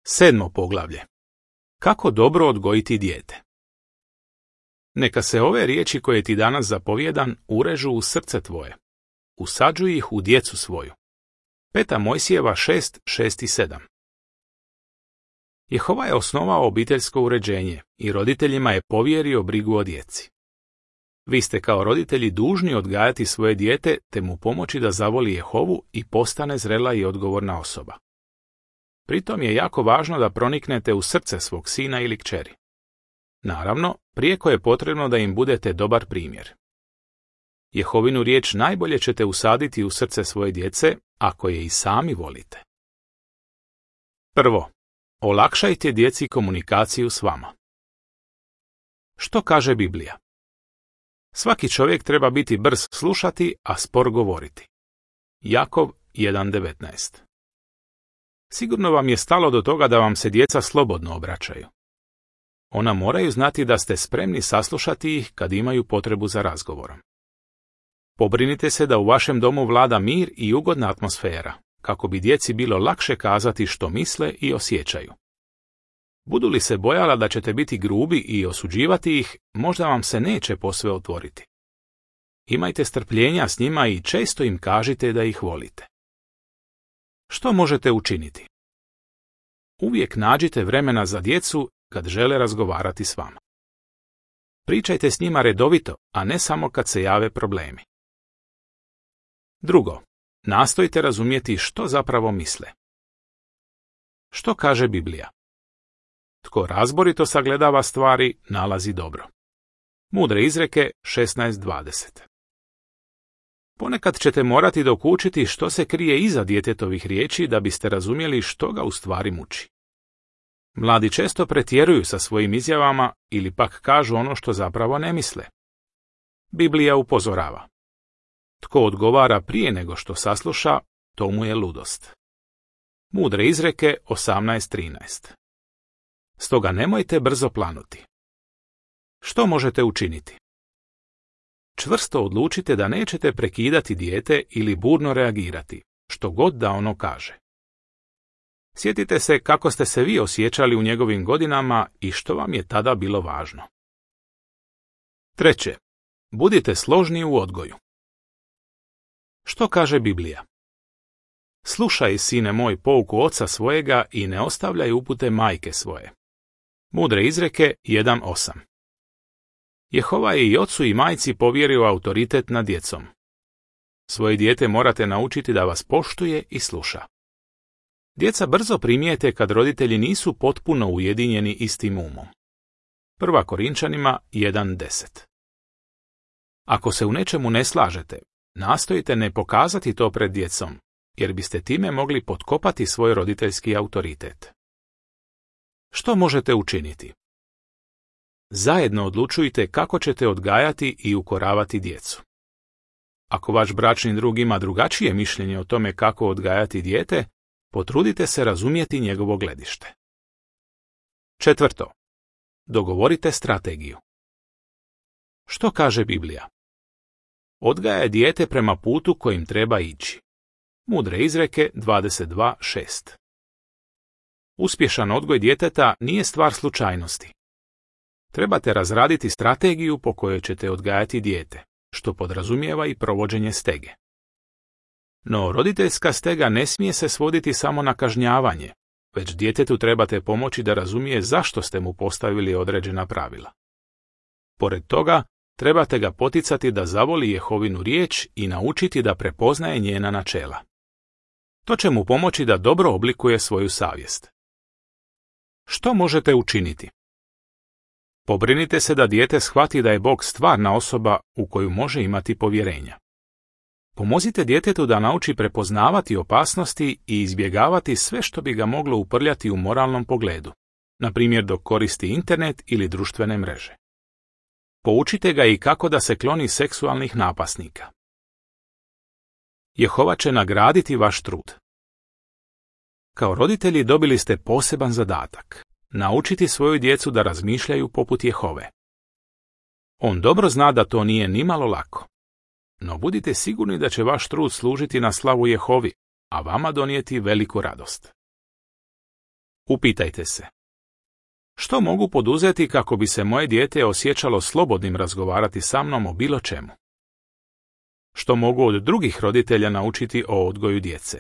7. poglavlje. Kako dobro odgojiti dijete? Neka se ove riječi koje ti danas zapovjedam urežu u srce tvoje. Usađuj ih u djecu svoju. 5. Mojsijeva 6, 6 i 7. Jehova je osnovao obiteljsko uređenje i roditeljima je povjerio brigu o djeci. Vi ste kao roditelji dužni odgajati svoje dijete te mu pomoći da zavoli Jehovu i postane zrela i odgovorna osoba. Pritom je jako važno da proniknete u srce svog sina ili kćeri. Naravno, prijeko je potrebno da im budete dobar primjer. Jehovinu riječ najbolje ćete usaditi u srce svoje djece ako je i sami volite. Prvo, olakšajte djeci komunikaciju s vama. Što kaže Biblija? Svaki čovjek treba biti brz slušati, a spor govoriti. Jakov 1.19. Sigurno vam je stalo do toga da vam se djeca slobodno obraćaju. Ona moraju znati da ste spremni saslušati ih kad imaju potrebu za razgovorom. Pobrinite se da u vašem domu vlada mir i ugodna atmosfera, kako bi djeci bilo lakše kazati što misle i osjećaju. Budu li se bojala da ćete biti grubi i osuđivati ih, možda vam se neće posve otvoriti. Imajte strpljenja s njima i često im kažite da ih volite. Što možete učiniti? Uvijek nađite vremena za djecu kad žele razgovarati s vama. Pričajte s njima redovito, a ne samo kad se jave problemi. Drugo, nastojte razumjeti što zapravo misle. Što kaže Biblija? Tko razborito sagledava stvari, nalazi dobro. Mudre izreke 16:20. Ponekad ćete morati dokučiti što se krije iza djetetovih riječi da biste razumjeli što ga u stvari muči. Mladi često pretjeruju sa svojim izjavama ili pak kažu ono što zapravo ne misle. Biblija upozorava. Tko odgovara prije nego što sasluša, to mu je ludost. Mudre izreke 18:13. Stoga nemojte brzo planuti. Što možete učiniti? Čvrsto odlučite da nećete prekidati dijete ili burno reagirati, što god da ono kaže. Sjetite se kako ste se vi osjećali u njegovim godinama i što vam je tada bilo važno. Treće, budite složni u odgoju. Što kaže Biblija? Slušaj, sine moj, pouku oca svojega i ne ostavljaj upute majke svoje. Mudre izreke 1.8. Jehova je i ocu i majci povjerio autoritet nad djecom. Svoje dijete morate naučiti da vas poštuje i sluša. Djeca brzo primijete kad roditelji nisu potpuno ujedinjeni istim umom. 1. Korinčanima 1.10. Ako se u nečemu ne slažete, nastojite ne pokazati to pred djecom, jer biste time mogli potkopati svoj roditeljski autoritet. Što možete učiniti? Zajedno odlučujte kako ćete odgajati i ukoravati djecu. Ako vaš bračni drug ima drugačije mišljenje o tome kako odgajati dijete, potrudite se razumjeti njegovo gledište. Četvrto, dogovorite strategiju. Što kaže Biblija? Odgaja dijete prema putu kojim treba ići. Mudre izreke 22.6. Uspješan odgoj djeteta nije stvar slučajnosti. Trebate razraditi strategiju po kojoj ćete odgajati dijete, što podrazumijeva i provođenje stege. No, roditeljska stega ne smije se svoditi samo na kažnjavanje, već djetetu trebate pomoći da razumije zašto ste mu postavili određena pravila. Pored toga, trebate ga poticati da zavoli Jehovinu riječ i naučiti da prepoznaje njena načela. To će mu pomoći da dobro oblikuje svoju savjest. Što možete učiniti? Pobrinite se da dijete shvati da je Bog stvarna osoba u koju može imati povjerenja. Pomozite djetetu da nauči prepoznavati opasnosti i izbjegavati sve što bi ga moglo uprljati u moralnom pogledu, na primjer dok koristi internet ili društvene mreže. Poučite ga i kako da se kloni seksualnih napasnika. Jehova će nagraditi vaš trud. Kao roditelji dobili ste poseban zadatak. Naučiti svoju djecu da razmišljaju poput Jehove. On dobro zna da to nije nimalo lako. No budite sigurni da će vaš trud služiti na slavu Jehovi, a vama donijeti veliku radost. Upitajte se. Što mogu poduzeti kako bi se moje dijete osjećalo slobodnim razgovarati sa mnom o bilo čemu? Što mogu od drugih roditelja naučiti o odgoju djece?